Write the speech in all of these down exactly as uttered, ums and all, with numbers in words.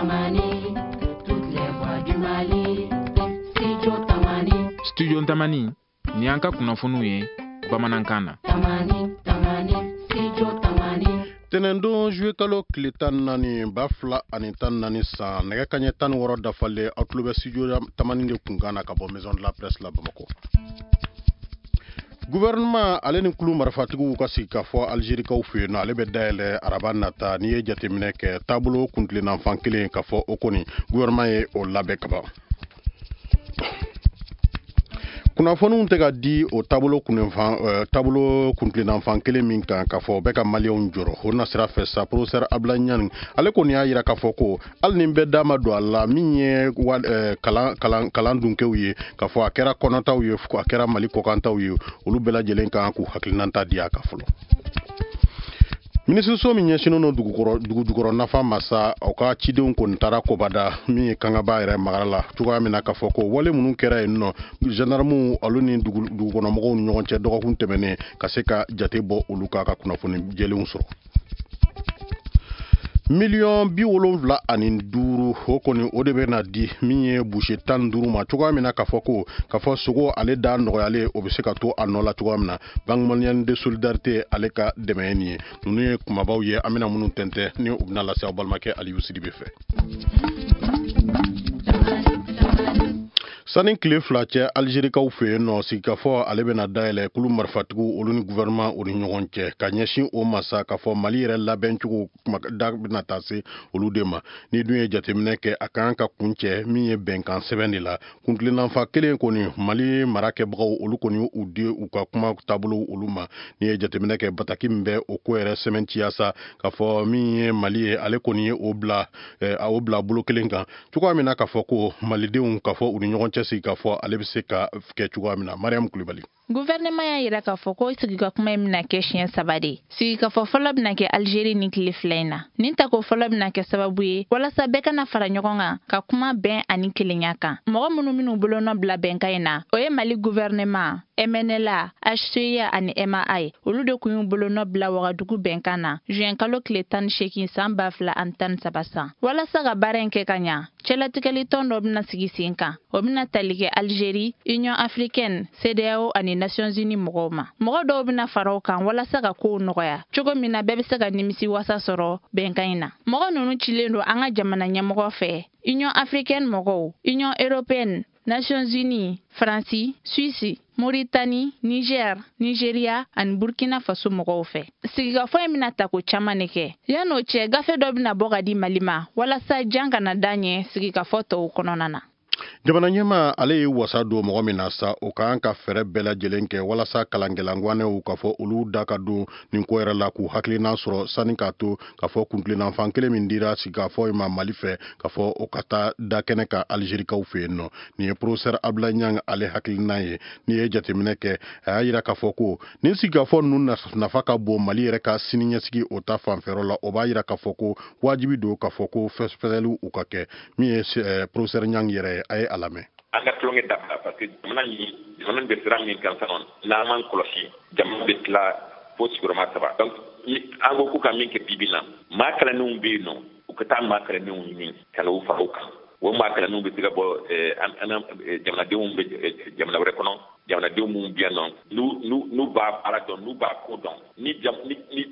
Tamani, toutes les voix du Mali. Studio Tamani. Studio Tamani, ni an ka kunnafoniw ye bamanankan na. Tamani, Tamani, Studio Tamani. Tɛnɛndon juillet kalo tile tan naani ba fila ani tan naani san, nɛgɛ kaɲɛ tan ni wɔɔrɔ dafalen, aw tulo bɛ Studio Tamani de kunkan na ka bɔ Maison de la Presse la Bamakɔ. Gouvernement ale ni kulu marifatigiw ka sigikafɔ Algérikaw fɛ yen nɔ, ale bɛ dayɛlɛ araba nata. N'i ye jateminɛ kɛ, taabolo kuntilennafan kelen ka fɔ o kɔni gouvernement ye o labɛn kaban. Kunnafoniw tɛ ka di o taabolo kunfan taabolo kuntilennafan kelen min kan, k'a fɔ o bɛ ka maliyɛnw jɔrɔ o nasira fɛ sa, professeur Abdoulaye Niang ale kɔni y'a yira k'a fɔ ko hali ni bɛɛ da ma don a la, min ye kalan kalan kalan dunkew ye, k'a fɔ a kɛra kɔnɔtaw ye, a kɛra Mali kɔkantaw ye, olu bɛɛ lajɛlen kan k'u hakilinata di a kan fɔlɔ. Minisiriso min ɲɛsinnen don dugukɔrɔ dugu jukɔrɔ nafa ma sa, o ka cidenw kɔni taara Kobada min ye Kangaba yɛrɛ magara la cogoya min na, k'a fɔ ko wale minnu kɛra yen nɔ, gendarmew olu ni dugukɔnɔmɔgɔw ni ɲɔgɔn cɛ dɔgɔkun tɛmɛnen, ka se ka jate bɔ olu kan ka kunnafoni jɛlenw sɔrɔ. Miliyɔn bi wolonwula ani duuru o kɔni o de bɛ na di min ye boucher tan ni duuru ma cogoya min na, k'a fɔ ko k'a fɔ sogo ale da nɔgɔyalen o bɛ se ka to a nɔ la cogoya min na. Banque malienne de solidarité ale ka dɛmɛ ye nin ye. Ninnu ye kumabaw ye an bɛna minnu tɛntɛn ni u bɛna lase aw balimakɛ Aliyu Sidibe fɛ. Sani tile fila cɛ, Algérikaw fɛ yen nɔ, sigikafɔ ale bɛna dayɛlɛ kulu marifatigiw olu ni gouvernement o ni ɲɔgɔn cɛ ka ɲɛsin o ma sa, k'a fɔ Mali yɛrɛ labɛncogo da bɛna taa se olu de ma. Ni dun ye jateminɛ kɛ, a kan ka kuncɛ min ye bɛnkan sɛbɛn de la. Kuntilennanfa kelen kɔni, Mali mara kɛbagaw olu kɔni u di u ka kuma taabolo olu ma. N'i ye jateminɛ kɛ, bataki min bɛ o ko yɛrɛ sɛmɛntiya sa, k'a fɔ min ye Mali ye, ale kɔni ye o bila o bila bolo kelen kan cogoya min na, k'a fɔ ko malidenw k'a fɔ u ni ɲɔgɔn cɛ sigi k'a fɔ ale bɛ se ka kɛ cogoya min na. Mariam Kulibali. Gouvernement y'a yira k'a fɔ ko sigikafɔ in bɛna kɛ siɲɛ saba de. Sigikafɔ fɔlɔ bɛna kɛ Algérie ni tile fila in na. Nin tako fɔlɔ bɛna kɛ sababu ye walasa bɛɛ kana fara ɲɔgɔn kan ka kuma bɛn ani kelenya kan. Mɔgɔ minnu minnu bolonɔ bila bɛnkan in na, o ye Mali gouvernement, M N L A, H C I A ani M A A ye. Olu de kun y'u bolonɔ bila Wagadugu bɛnkan na juin kalo tile tan ni seegin san ba fila ani tan ni saba san. Walasa ka baara in kɛ ka ɲa, cɛlatigɛli tɔn dɔ bɛna sigi sen kan. O bɛna tali kɛ Algérie, Union africaine, C D A O ani Nations Unies mɔgɔw ma. Mɔgɔ dɔw bɛna fara o kan walasa ka kow nɔgɔya cogo min na bɛɛ bɛ se ka nimisi wasa sɔrɔ bɛnkan in na. Mɔgɔ ninnu cilen don an ka jamana ɲɛmɔgɔ fɛ, Union africaine mɔgɔw, Union européenne, Nations Unies, Faransi, Suisse, Mauritanie, Niger, Nigeria ani Burkina Faso mɔgɔw fɛ. Sigikafɔ in bɛna tako caman de kɛ. Yan'o cɛ, gafe dɔ bɛna bɔ ka di Mali ma walasa jan kana da ɲɛ sigikafɔ tɔw kɔnɔna na. Jamana ɲɛmaa ale ye wasa don mɔgɔ min na sa, o ka kan ka fɛɛrɛ bɛɛ lajɛlen kɛ walasa kalankɛlangwanɛw k'a fɔ olu da ka don nin ko yɛrɛ la k'u hakilina sɔrɔ, sani k'a to k'a fɔ kuntilennafan kelen min dira sigikafɔ in ma Mali fɛ, k'a fɔ o ka taa da kɛnɛ kan Algérikaw fɛ yen nɔ. Nin ye professeur Abdoulaye Niang ale hakilina ye. N'i ye jateminɛ kɛ, a y'a yira k'a fɔ ko nin sigikafɔ ninnu nafa ka bon Mali yɛrɛ ka siniɲɛsigi o ta fanfɛyɔrɔ la. O b'a yira k'a fɔ ko wajibi don k'a fɔ ko fɛsɛfɛsɛliw u ka kɛ. Min ye professeur Niang yɛrɛ ye, a ye a lamɛn. An ka tulonkɛ dabila, parce que jamana in jamana bɛ sira min kan sisan, n'an m'an kɔlɔsi, jamana bɛ tila fo sigiyɔrɔma saba. Donc an ko k'u ka min kɛ bi bi in na, maa kalannenw bɛ yen nɔ, u ka taa maa kalannenw ɲini ka n'u fara u kan. O maa kalannenw bɛ se ka bɔ an jamanadenw bɛ jamana wɛrɛ kɔnɔ, jamanadenw minnu bɛ yan nɔ, n'u n'u n'u b'a baara dɔn, n'u b'a ko dɔn, ni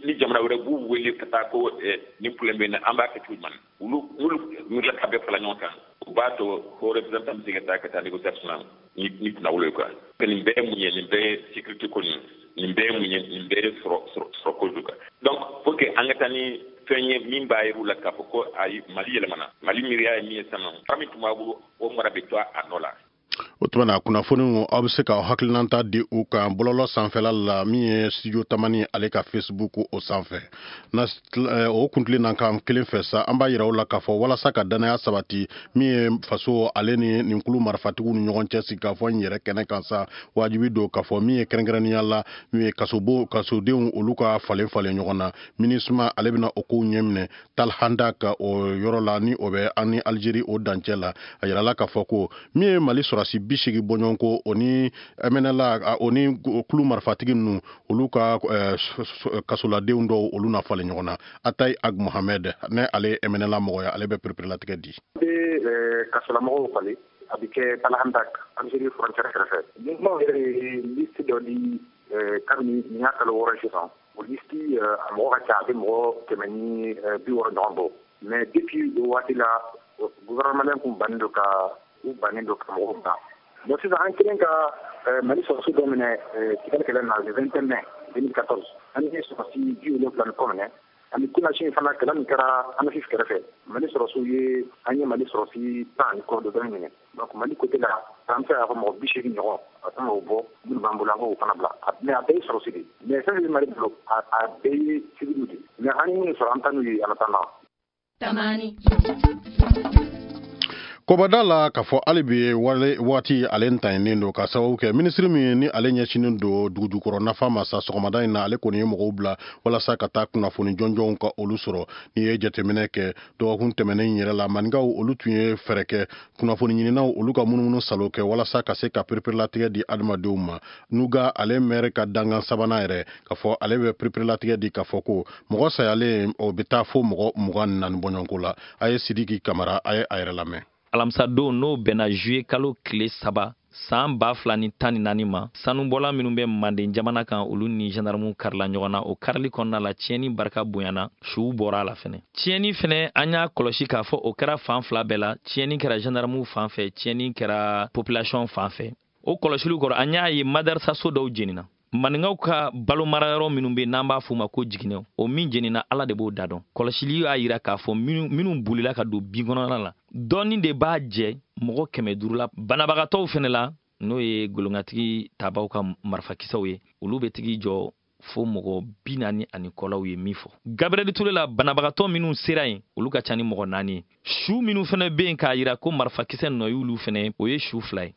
ni jamana wɛrɛ b'u wele ka taa ko nin problème bɛ yen, an b'a kɛ cogo jumɛn, olu n'olu wulila ka bɛɛ fara ɲɔgɔn kan, o b'a to ko représentant bɛ se ka taa ka taa négociation na ni ni kunnawolo ye quoi. Nin bɛɛ ye mun ye, nin bɛɛ ye sécurité ko nin, nin bɛɛ ye mun ye, nin bɛɛ ye sɔrɔ sɔrɔ ko don quoi. Donc faut que an ka taa ni fɛn ye min b'a yir'u la k'a fɔ ko ayi, Mali yɛlɛmana, Mali miiriya ye min ye sisan nɔ, fara min tun b'a bolo, o mara bɛ to a nɔ la. O tuma na kunnafoniw aw bɛ se k'aw hakilinata di u kan bɔlɔlɔ sanfɛla la, min ye Studio Tamani ale ka Facebook o sanfɛ. Na o kuntilenna kan kelen fɛ sa, an b'a yira aw la k'a fɔ walasa ka danaya sabati min ye faso ale ni nin kulu marifatigiw ni ɲɔgɔn cɛ sigikafɔ in yɛrɛ kɛnɛ kan sa, wajibi don k'a fɔ min ye kɛrɛnkɛrɛnnenya la min ye kasobo kasodenw olu ka falen falen ɲɔgɔn na. MINUSMA ale bɛna o kow ɲɛminɛ Talhanda ka o yɔrɔ la, ni o bɛ an ni Algérie o dancɛ la. A yirala k'a fɔ ko min ye Mali sɔrɔsi bi seegin bɔɲɔgɔnko o ni M N L A o ni kulu marifatigi ninnu olu ka kasoladenw dɔw olu na falen ɲɔgɔn na. Atayi Ag Mohamed ne ale M N L A mɔgɔ ye, ale bɛ pereperelatigɛ di. Kasolamɔgɔw falen a bɛ kɛ Talahandak Algérie frontière kɛrɛfɛ. Mouvement yɛrɛ ye liste dɔ di kabini nin y'a kalo wɔɔrɔ sisan. O liste a mɔgɔ ka ca, a bɛ mɔgɔ kɛmɛ ni bi wɔɔrɔ ɲɔgɔn bɔ. Mais depuis o waati la gouvernement kun bannen don ka u bannen don ka mɔgɔw bila. Bon sisan an kelen ka Mali sɔrɔdasi dɔ minɛ Kidali kɛlɛ na le vingt et un mai deux mille quatorze. An ye sɔrɔdasi bi wolonwula ni kɔ minɛ. Ani kunasini fana kɛlɛ min kɛra Anafif kɛrɛfɛ, Mali sɔrɔdasiw ye an ye Mali sɔrɔdasi tan ani kɔ dɔ minɛ. Donc Mali côté la an bɛ se k'a fɔ mɔgɔ bi seegin ɲɔgɔn a kan k'o bɔ minnu b'an bolo an k'o fana bila. Mais a bɛɛ ye sɔrɔdasi de ye. Mais fɛn fɛn bɛ Mali bolo a a bɛɛ ye civil de ye. Mais an ye minnu sɔrɔ an ta n'u ye en attendant. Tamani. Kɔbada la k'a fɔ hali bi waati ale ntanyinen don ka sababu kɛ minisiri min ni ale ɲɛsinnen don dugujukɔrɔ nafa ma sa sɔgɔmada in na, ale kɔni ye mɔgɔw bila walasa ka taa kunnafoni jɔnjɔnw ka olu sɔrɔ. N'i ye jateminɛ kɛ dɔgɔkun tɛmɛnen in yɛrɛ la, maninkaw olu tun ye fɛɛrɛ kɛ kunnafoni ɲininaw olu ka munumunu salo kɛ walasa ka se ka pereperelatigɛ di adamadenw ma. Nuga ale mɛri ka dangan sabanan yɛrɛ k'a fɔ ale bɛ pereperelatigɛ di k'a fɔ ko mɔgɔ sayalen o bɛ taa fo mɔgɔ mugan ni naani bɔɲɔgɔnko la. A ye Sidiki Kamara a ye a yɛrɛ lamɛn. Alamisadon n'o bɛnna juillet kalo tile saba san ba fila ni tan ni naani ma, sanubɔla minnu bɛ manden jamana kan olu ni gendarmew karila ɲɔgɔn na. O karili kɔnɔna la tiɲɛni barika bonyana, suw bɔra a la fɛnɛ. Tiɲɛni fɛnɛ an y'a kɔlɔsi k'a fɔ o kɛra fan fila bɛɛ la. Tiɲɛni kɛra gendarmew fan fɛ, tiɲɛni kɛra population fan fɛ. O kɔlɔsiliw kɔrɔ an y'a ye madarasa so dɔw jenina. Maninkaw ka balo marayɔrɔ minnu bɛ n'an b'a f'u ma ko jiginɛw, o min jenina Ala de b'o da dɔn. Kɔlɔsili y'a yira k'a fɔ minnu bolila ka don bin kɔnɔna la, dɔɔni de b'a jɛ mɔgɔ kɛmɛ duuru la. Banabagatɔw fɛnɛ la, n'o ye golonkatigi tabaw ka marifakisɛw ye, olu bɛ tigi jɔ fo mɔgɔ bi naani ani kɔlaw ye min fɔ. Gabriel Touré la banabagatɔ minnu sera yen, olu ka ca ni mɔgɔ naani ye. Su minnu fɛnɛ bɛ yen k'a yira ko marifakisɛ nɔ y'olu fɛnɛ, o ye su fila ye.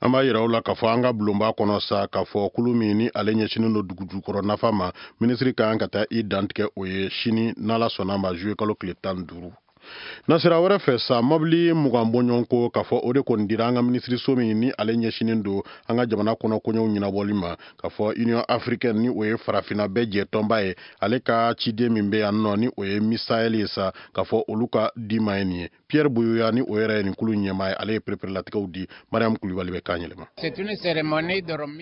An b'a yira aw la k'a fɔ an ka bulonba kɔnɔ sa k'a fɔ kulu min ni ale ɲɛsinnen don dugujukɔrɔ nafa ma, minisiri ka kan ka taa i dantigɛ o ye sini n'Ala sɔnna ma juillet kalo tile tan ni duuru. Nasira wɛrɛ fɛ sa, mɔbili mugan bɔɲɔgɔnko k'a fɔ o de kɔni dira an ka minisiriso min ni ale ɲɛsinnen don an ka jamana kɔnɔ koɲɛw ɲɛnabɔli ma, k'a fɔ Union africaine ni o ye farafinna bɛɛ jɛtɔnba ye, ale ka ciden min bɛ yan nɔ ni o ye Misael ye sa, k'a fɔ olu ka di ma ye nin ye. Pierre Boyoya ni o yɛrɛ ye nin kulu ɲɛmaa ye, ale ye pereperelatigɛw di. Mariam Kulibali bɛ kan yɛlɛma.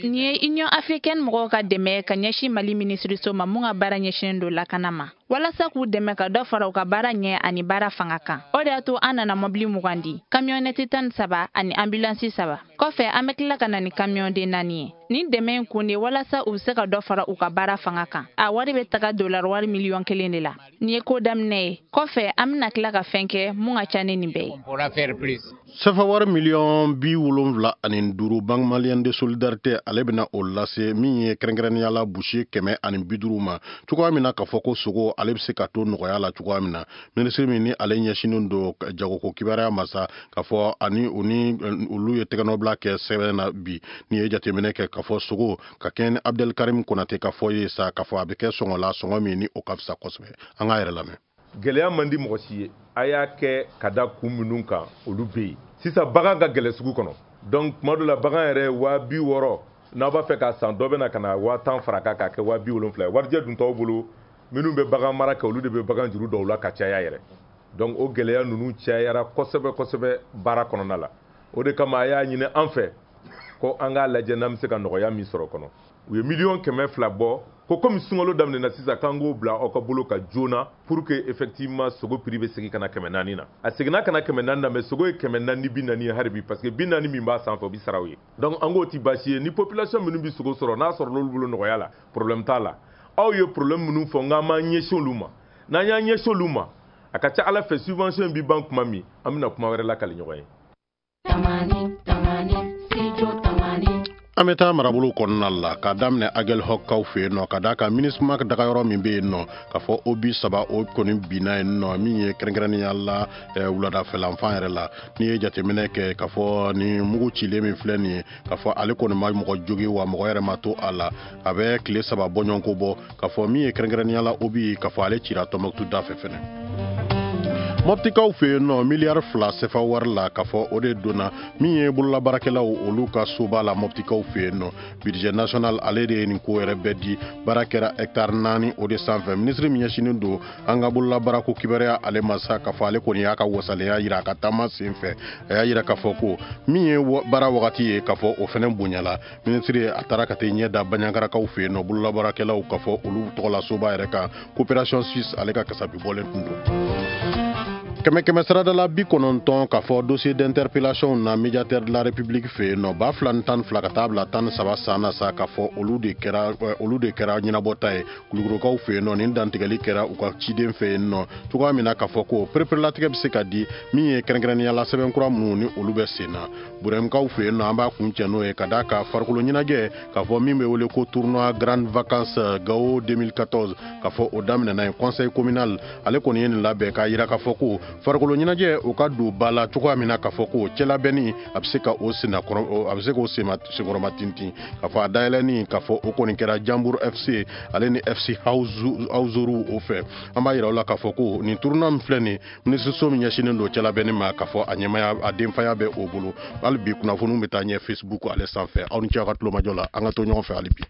Nin ye Union africaine mɔgɔw ka dɛmɛ ka ɲɛsin Mali minisiriso ma mun ka baara ɲɛsinnen don lakana ma, walasa k'u dɛmɛ ka dɔ fara u ka baara ɲɛ ani baara fanga kan. O de y'a to an nana mɔbili mugan di, kamiyɔnɛti tan ni saba ani ambulansi saba. Kɔfɛ an bɛ tila ka na ni kamiyɔnden naani ye. Nin dɛmɛ in kun de walasa u bɛ se ka dɔ fara u ka baara fanga kan. A wari bɛ taga dollar wari miliyɔn kelen de la. Nin ye ko daminɛ ye. Kɔfɛ an bɛna tila ka fɛn kɛ mun ka ca ni nin bɛɛ ye. Sefa wari miliyɔn bi wolonwula ani duuru Banque malienne de solidarité ale bɛna o lase min ye kɛrɛnkɛrɛnnenya la busi kɛmɛ ani bi duuru ma, cogoya min na k'a fɔ ko sogo ale bɛ se ka to nɔgɔya la cogoya min na. Minisiri min ni ale ɲɛsinnen don jagoko kibaruya ma sa, k'a fɔ ani u ni olu ye tɛgɛnɔbila kɛ sɛbɛn na bi. N'i ye jateminɛ kɛ k'a fɔ sogo ka kɛɲɛ ni Abdel Karim Konate ka fɔ ye sa, k'a fɔ a bɛ kɛ sɔngɔ la sɔngɔ min ni o ka fisa kosɛbɛ. An k'a yɛrɛ lamɛn. Gɛlɛya man di mɔgɔ si ye, a y'a kɛ ka da kun minnu kan olu bɛ yen. Sisan bagan ka gɛlɛn sugu kɔnɔ, donc tuma dɔ la bagan yɛrɛ waa bi wɔɔrɔ n'aw b'a fɛ k'a san, dɔ bɛ na ka na waa tan fara kan k'a kɛ waa bi wolonfila ye. Warijɛ dun t'aw bolo, minnu bɛ bagan mara kɛ olu de bɛ bagan juru dɔw la ka caya yɛrɛ. Donc o gɛlɛya ninnu cayara kosɛbɛ kosɛbɛ baara kɔnɔna la. O de kama a y'a ɲini an fɛ ko an k'a lajɛ n'an bɛ se ka nɔgɔya min sɔrɔ kɔnɔ. U ye miliyɔn kɛmɛ fila bɔ ko komi sunkalo daminɛna sisan k'an k'o bila aw ka bolo ka joona pour que effectivement sogo prix bɛ segin ka na kɛmɛ naani na. A seginna ka na kɛmɛ naani na, mais sogo ye kɛmɛ naani bi naani ye hali bi, parce que bi naani min b'a sanfɛ o bɛ sara u ye. Donc an k'o ti baasi ye, ni population minnu bɛ sogo sɔrɔ n'a sɔrɔ l'olu bolo nɔgɔya la, problème t'a la. Aw ye problème minnu fɔ n k'an m'an ɲɛsin olu ma, n'an y'an ɲɛsin olu ma, a ka ca Ala fɛ subvention bɛ ban kuma min, an bɛna kuma wɛrɛ lakali ɲɔgɔn ye. An bɛ taa marabolo kɔnɔna la k'a daminɛ Aguelhok fɛ yen nɔ, ka d'a kan MINUSMA dagayɔrɔ min bɛ yen nɔ, k'a fɔ O B saba o kɔni binna yen nɔ, min ye kɛrɛnkɛrɛnnenya la wuladafɛlanfan yɛrɛ la. N'i ye jateminɛ kɛ k'a fɔ ni mugu cilen min filɛ nin ye, k'a fɔ ale kɔni ma mɔgɔ jogi wa mɔgɔ yɛrɛ ma to a la, a bɛ tile saba bɔɲɔgɔnko bɔ. K'a fɔ min ye kɛrɛnkɛrɛnnenya la O B, k'a fɔ ale cira Tɔnbɔkutu da fɛ fɛnɛ. Moptikaw fɛ yen nɔ, miliyari fila sefa wari la, k'a fɔ o de donna min ye bololabaarakɛlaw olu ka soba la Moptikaw fɛ yen nɔ. Budget national ale de ye nin ko yɛrɛ bɛɛ di. Baara kɛra hectare naani o de sanfɛ. Minisiri min ɲɛsinnen don an ka bololabaarako kibaruya ale ma sa, k'a fɔ ale kɔni y'a ka wasalenya yira a ka taama sen fɛ. A y'a yira k'a fɔ ko min ye baara wagati ye, k'a fɔ o fɛnɛ bonyala. Minisiri a taara ka taa ɲɛ da Baɲakarakaw fɛ yen nɔ, bololabaarakɛlaw, k'a fɔ olu tɔgɔla soba yɛrɛ kan. Coopération suisse ale ka kasabi bɔlen tun don. Kɛmɛ kɛmɛ saradala bi kɔnɔntɔn, k'a fɔ dossier d'interpellation na médiateur de la République fɛ yen nɔ, ba fila ni tan ni fila ka taa bila tan ni saba san na sa, k'a fɔ olu de kɛra olu de kɛra ɲɛnabɔta ye Kulukorokaw fɛ yen nɔ. Nin dantigɛli kɛra u ka ciden fɛ yen nɔ cogoya min na, k'a fɔ ko pereperelatigɛ bɛ se ka di min ye kɛrɛnkɛrɛnnenya la sɛbɛn kura minnu ni olu bɛ sen na Burɛmukaw fɛ yen nɔ. An b'a kun cɛ n'o ye ka d'a kan farikolo ɲɛnajɛ, k'a fɔ min bɛ wele ko tournoi Grande Vacances Gao deux mille quatorze, k'a fɔ o daminɛna yen. Conseil communal ale kɔni ye nin labɛn k'a yira k'a fɔ ko farikolo ɲɛnajɛ o ka don ba la cogoya min na, k'a fɔ ko cɛlabɛnni a bɛ se ka o senna, a bɛ se k'o senkɔrɔma tintin. K'a fɔ a dayɛlɛnni, k'a fɔ o kɔni kɛra Jambour F C ale ni F C Hauzoru o fɛ. An b'a yira u la k'a fɔ ko nin tournoi min filɛ nin, minisiriso min ɲɛsinnen don cɛlabɛnni ma, k'a fɔ a ɲɛmaya a denfaya bɛ o bolo. Hali bi kunnafoniw bɛ taa ɲɛ Facebook ale sanfɛ. Aw ni ce aw ka tulomajɔ la. An ka to ɲɔgɔn fɛ hali bi.